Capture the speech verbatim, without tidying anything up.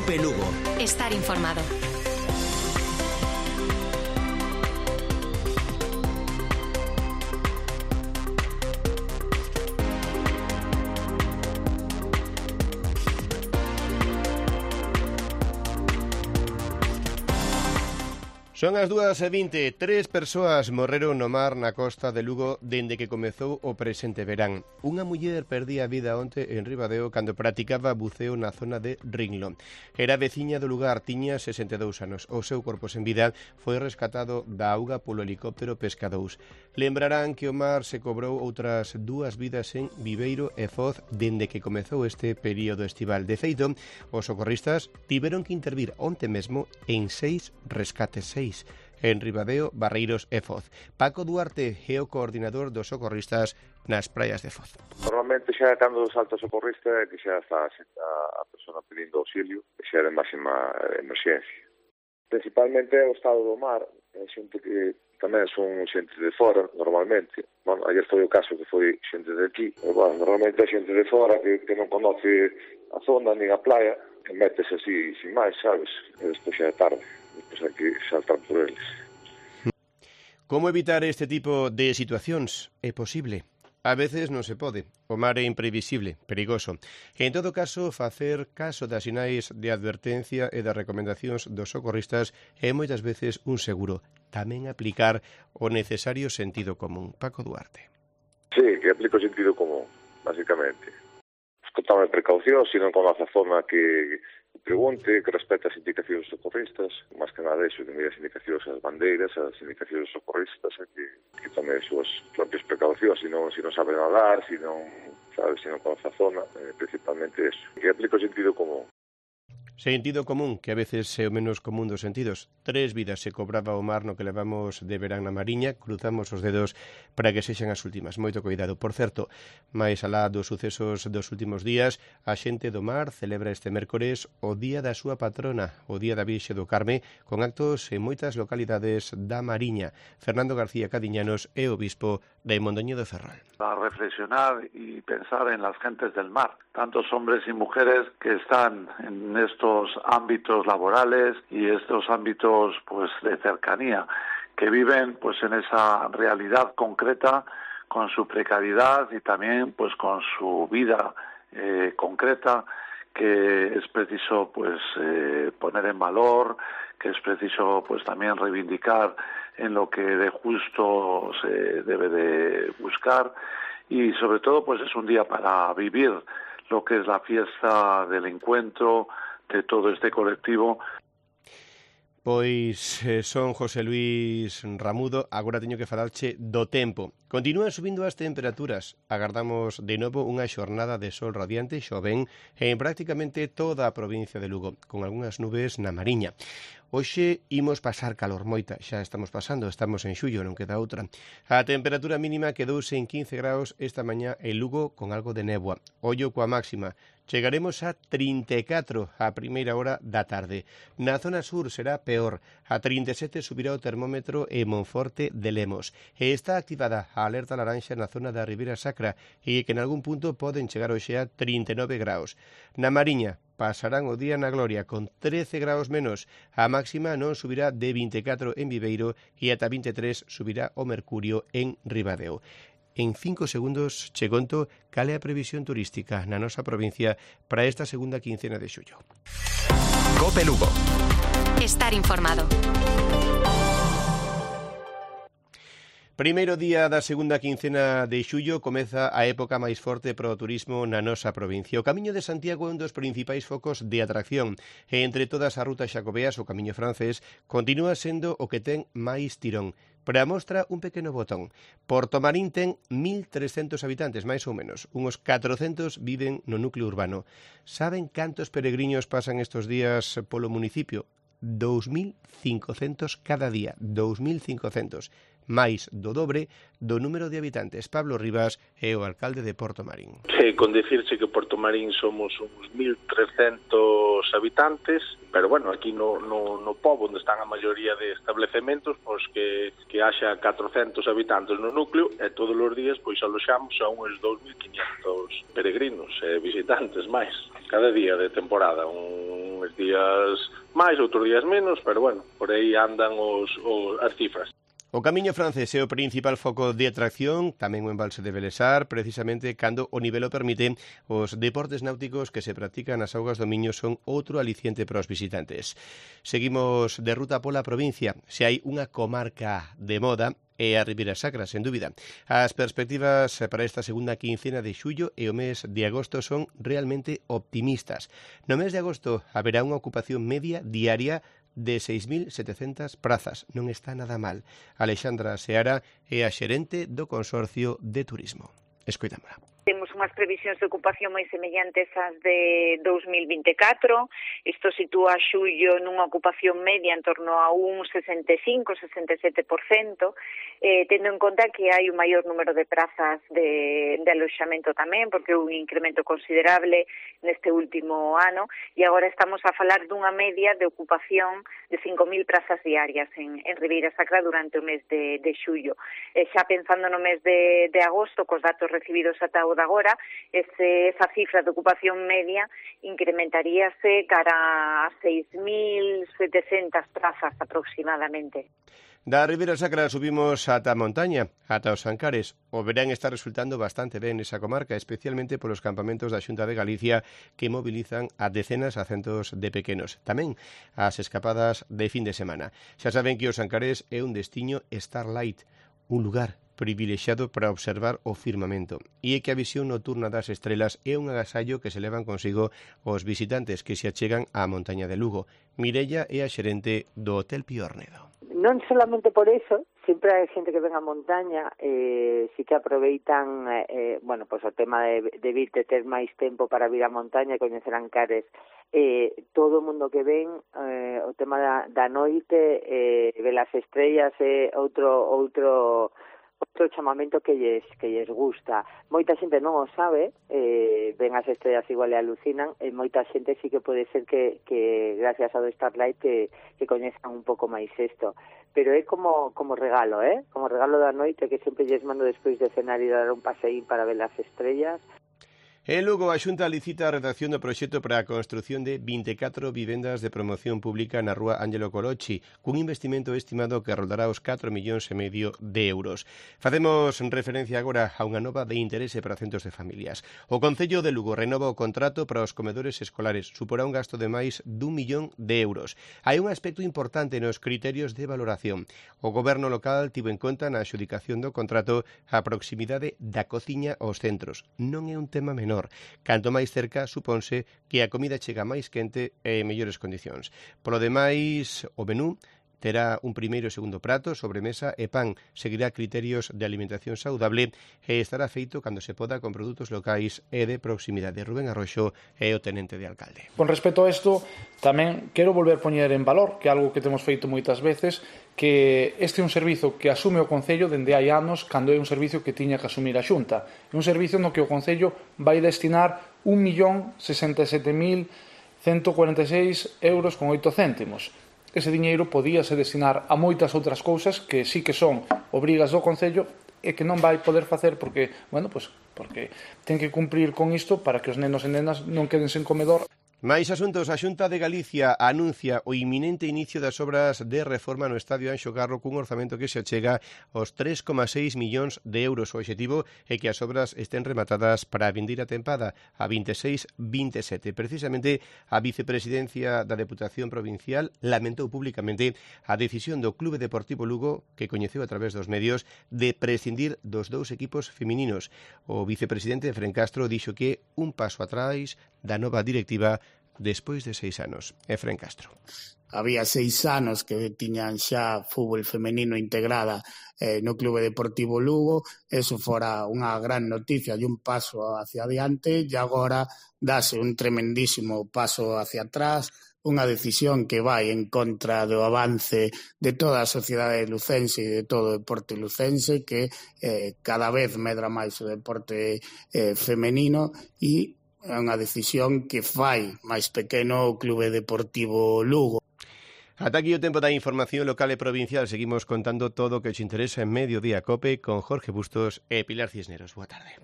Cope Lugo. Estar informado. Son as dúas e vinte, tres persoas morreron no mar na costa de Lugo dende que comezou o presente verán. Unha muller perdía a vida onte en Ribadeo cando practicaba buceo na zona de Ringlo. Era veciña do lugar, tiña sesenta e dous anos. O seu corpo sen vida foi rescatado da auga polo helicóptero Pesca dous. Lembrarán que o mar se cobrou outras dúas vidas en Viveiro e Foz dende que comezou este período estival. De feito, os socorristas tiveron que intervir onte mesmo en seis rescates, seis en Ribadeo, Barreiros e Foz. Paco Duarte é o coordinador dos socorristas nas praias de Foz. Normalmente xa cando salta o socorrista é que xa está a, a persona pedindo auxilio, que xa é de máxima emerxencia. Principalmente é o estado do mar, é xente que tamén son xente de fora, normalmente. Bueno, ayer foi o caso que foi xente de aquí, e, bueno, normalmente é xente de fora que, que non conoce a zona nin a playa, que métese así, sin máis, sabes? E despois xa é tarde. Pois hai que saltar por eles. Como evitar este tipo de situacións? É posible. A veces non se pode. O mar é imprevisible, perigoso. En todo caso, facer caso das sinais de advertencia e das recomendacións dos socorristas é moitas veces un seguro. Tamén aplicar o necesario sentido común. Paco Duarte. Sí, que aplico o sentido común, basicamente. Escotame precaución, se non conoce a zona que pregunte, que respete as indicacións dos socorristas, máis que nada iso, que mire as indicacións as bandeiras, as indicacións dos socorristas, e que, que tome as súas propias precaucións, se non, se non sabe nadar, se non, sabe, se non conoce a zona, eh, principalmente iso. Que aplica o sentido común. Sentido común, que a veces é o menos común dos sentidos. Tres vidas se cobraba o mar no que levamos de verán na Mariña. Cruzamos os dedos para que sexan as últimas. Moito cuidado. Por certo, máis alá dos sucesos dos últimos días, a xente do mar celebra este mércores o día da súa patrona, o día da Virxe do Carme, con actos en moitas localidades da Mariña. Fernando García Cadiñanos é o obispo de Mondoñedo de Ferrol. A reflexionar y pensar en las gentes del mar, tantos hombres y mujeres que están en estos ámbitos laborales y estos ámbitos pues de cercanía, que viven pues en esa realidad concreta con su precariedad y también pues con su vida eh, concreta, que es preciso pues eh, poner en valor, que es preciso pues también reivindicar en lo que de justo se debe de buscar, y sobre todo pues es un día para vivir lo que es la fiesta del encuentro de todo este colectivo. Pois eh, son José Luis Ramudo, agora teño que falarche do tempo. Continúan subindo as temperaturas. Agardamos de novo unha xornada de sol radiante, xoven, en prácticamente toda a provincia de Lugo, con algunhas nubes na Mariña. Hoxe imos pasar calor moita, xa estamos pasando, estamos en xullo, non queda outra. A temperatura mínima quedouse en quince graus esta mañá en Lugo con algo de néboa. Ollo coa máxima. Chegaremos a trinta e catro a primeira hora da tarde. Na zona sur será peor. A trinta e sete subirá o termómetro en Monforte de Lemos. E está activada a alerta laranxa na zona da Ribeira Sacra e que en algún punto poden chegar hoxe a trinta e nove graus. Na Mariña pasarán o día na gloria con trece graus menos. A máxima non subirá de vinte e catro en Viveiro e ata vinte e tres subirá o mercurio en Ribadeo. En cinco segundos che conto cal é a previsión turística na nosa provincia para esta segunda quincena de xullo. Cope Lugo. Estar informado. Primeiro día da segunda quincena de xullo comeza a época máis forte para o turismo na nosa provincia. O Camiño de Santiago é un dos principais focos de atracción. E entre todas as rutas xacobeas, o Camiño francés continúa sendo o que ten máis tirón. Para a mostra, un pequeno botón. Portomarín ten mil trescentos habitantes, máis ou menos. Uns catrocentos viven no núcleo urbano. Saben cantos peregriños pasan estes días polo municipio? dous mil cincocentos cada día. dous mil cincocentos. máis do dobre do número de habitantes. Pablo Rivas é o alcalde de Portomarín. Sí, con decirse que Portomarín somos uns mil trescentos habitantes, pero bueno, aquí no, no, no pobo onde están a maioría de establecementos, pois que, que haxa catrocentos habitantes no núcleo e todos os días pois aloxamos a uns dous mil quinientos peregrinos e visitantes máis, cada día de temporada, uns días máis, outros días menos, pero bueno, por aí andan os, os, as cifras. O Camiño Francés é o principal foco de atracción, tamén o embalse de Belesar, precisamente cando o nivel o permite, os deportes náuticos que se practican nas augas do Miño son outro aliciente para os visitantes. Seguimos de ruta pola provincia. Se hai unha comarca de moda, é a Ribeira Sacra, sen dúbida. As perspectivas para esta segunda quincena de xullo e o mes de agosto son realmente optimistas. No mes de agosto haberá unha ocupación media diaria de seis mil setecentas prazas. Non está nada mal. Alexandra Seara é a xerente do Consorcio de Turismo. Escoitámola. Temos unhas previsións de ocupación moi semellantes ás de dous mil vinte e catro. Isto sitúa a xullo nunha ocupación media en torno a un sesenta e cinco, sesenta e sete por cento, eh, tendo en conta que hai un maior número de prazas de, de aloxamento tamén, porque houve un incremento considerable neste último ano, e agora estamos a falar dunha media de ocupación de cinco mil prazas diarias en, en Ribeira Sacra durante o mes de, de xullo. E xa pensando no mes de, de agosto, cos datos recibidos ata o de agora, ese, esa cifra de ocupación media incrementaríase cara a seis mil setecentas prazas aproximadamente. Da Ribeira Sacra subimos ata a montaña, ata os Ancares. O verán está resultando bastante ben esa comarca, especialmente polos campamentos da Xunta de Galicia que mobilizan a decenas a centos de pequenos. Tamén as escapadas de fin de semana. Xa saben que os Ancares é un destiño Starlight, un lugar privilexiado para observar o firmamento. E é que a visión nocturna das estrelas é un agasallo que se levan consigo os visitantes que se achegan á montaña de Lugo. Mireia é a xerente do Hotel Piornedo. Non solamente por eso, sempre hai xente que ven a montaña, eh, si que aproveitan, eh, bueno, pues o tema de, de vir de ter máis tempo para vir a montaña e coñecer Ancares. Eh, todo o mundo que ven, eh, o tema da, da noite, eh, ver as estrellas, é eh, outro outro outro chamamento que lles, que lles gusta. Moita xente non o sabe, eh, ven as estrellas igual e alucinan, e moita xente sí que pode ser que, que gracias ao Starlight que, que coñezan un pouco máis isto. Pero é como, como regalo, eh? Como regalo da noite que sempre lles mando despois de cenar e dar un paseín para ver as estrellas. En Lugo, a Xunta licita a redacción do proxecto para a construción de vinte e catro vivendas de promoción pública na rúa Ángelo Colochi, cun investimento estimado que roldará os catro millóns e medio de euros. Facemos referencia agora a unha nova de interese para centos de familias. O Concello de Lugo renova o contrato para os comedores escolares. Suporá un gasto de máis dun millón de euros. Hai un aspecto importante nos criterios de valoración. O goberno local tivo en conta na adxudicación do contrato a proximidade da cociña aos centros. Non é un tema menor. Canto máis cerca, supónse que a comida chega máis quente e en mellores condicións. Polo demais, o menú terá un primeiro e segundo prato, sobremesa e pan. Seguirá criterios de alimentación saudable e estará feito cando se poda con produtos locais e de proximidade. Rubén Arroxo é o tenente de alcalde. Con respecto a isto, tamén quero volver a poñer en valor, que é algo que temos feito moitas veces, que este é un servizo que asume o Concello dende hai anos cando é un servizo que tiña que asumir a Xunta. É un servizo no que o Concello vai destinar un millón sesenta e sete mil cento cuarenta e seis euros con oito céntimos. Ese diñeiro podíase destinar a moitas outras cousas que sí que son obrigas do Concello e que non vai poder facer porque, bueno, pues, porque ten que cumprir con isto para que os nenos e nenas non queden sen comedor. Máis asuntos. A Xunta de Galicia anuncia o inminente inicio das obras de reforma no Estadio Anxo Carro cun orzamento que se achega aos tres coma seis millóns de euros. O obxectivo é que as obras estén rematadas para a vindeira tempada a vinte e seis vinte e sete. Precisamente a vicepresidencia da Deputación Provincial lamentou públicamente a decisión do Clube Deportivo Lugo, que coñeceu a través dos medios, de prescindir dos dous equipos femininos. O vicepresidente Fren Castro dixo que un paso atrás da nova directiva despois de seis anos. Efrén Castro. Había seis anos que tiñan xa fútbol femenino integrada eh, no Clube Deportivo Lugo, eso fora unha gran noticia e un paso hacia adiante, e agora dase un tremendísimo paso hacia atrás, unha decisión que vai en contra do avance de toda a sociedade lucense e de todo o deporte lucense, que eh, cada vez medra máis o deporte eh, femenino, e é unha decisión que fai máis pequeno o Clube Deportivo Lugo. Ata aquí o tempo da información local e provincial. Seguimos contando todo o que os interesa en Mediodía Cope con Jorge Bustos e Pilar Cisneros. Boa tarde.